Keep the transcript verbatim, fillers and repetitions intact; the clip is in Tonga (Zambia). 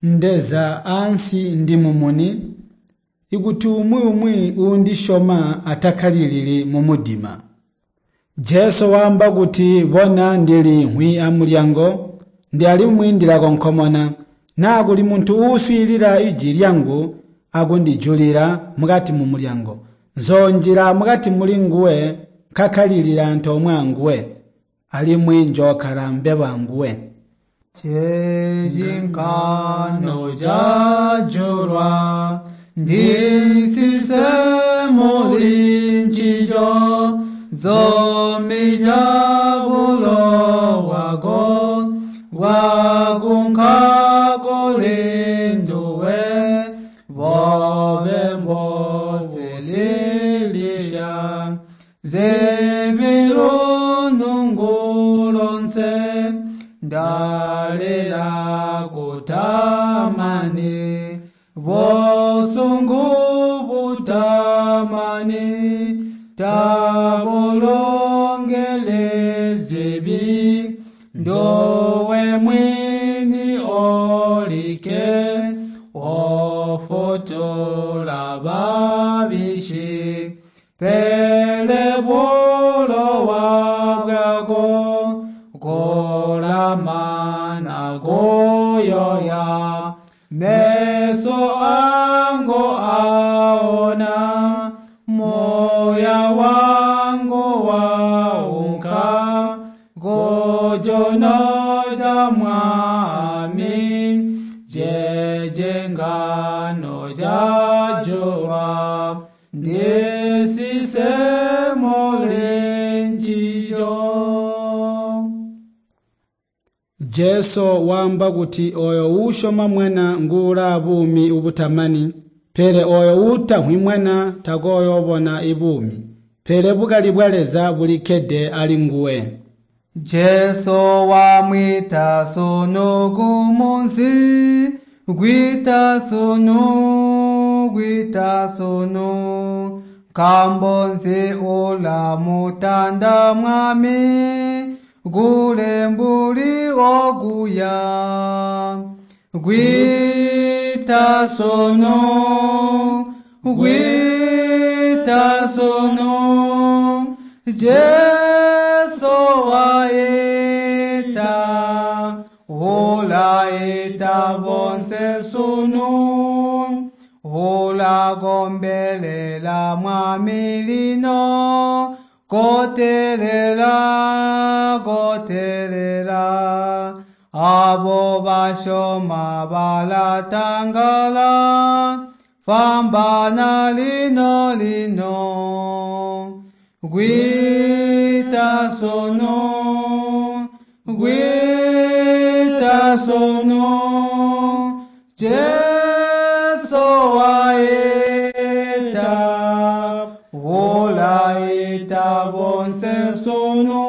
Ndeza ansi ndi mumuni, ikuti umwi umwi uundisyoma atakkalilili mumudima. Jesu waamba kuti, "Bona, ndiliimvwi amulyango, ndi alimwi ndilakonkomona. Naa kuli muntu uuswiilila ijwi lyangu akundijulila mukati mumulyango, nzoonjila mukati mulinguwe nkakkalilile antoomwe anguwe, alimwi njookkala mbebo anguwe." Jejingano jajulwa ndisise mulinjijo zomija bulo bwako bwakunka kulinduwe bobe mbosililisha zebilunungulonse ndalila kutamani bosungu butamani tabolongelezebi ndowe mwini olike ofotola babishi pele bulowa bwako kolamana koyoya meso ango aona moya wangu waunka gojonoja mwami jejengano jajowa ndisise molenjijo. Jesu waamba kuti oyo uusyoma mwana nguulaa buumi ubutamani, pele oyo uutamvwi mwana takooyoobona ibuumi, pele bukali bwa Leza bulikkede ali nguwe. Jesu wamwita sunu kumunsi, gwita sunu, gwita sunu, nkaambo nzi ulamutanda mwami, kule mbuli okuya. Gwita sunu, gwita sunu, Jesu waita, ulaita bonse sunu, ulakombelela mwami lino, kotelela, kotelela, abo basyoma balatangala, fambana lino lino. Gwita sunu, gwita sunu, Jesu waita, ulaita bonse sunu,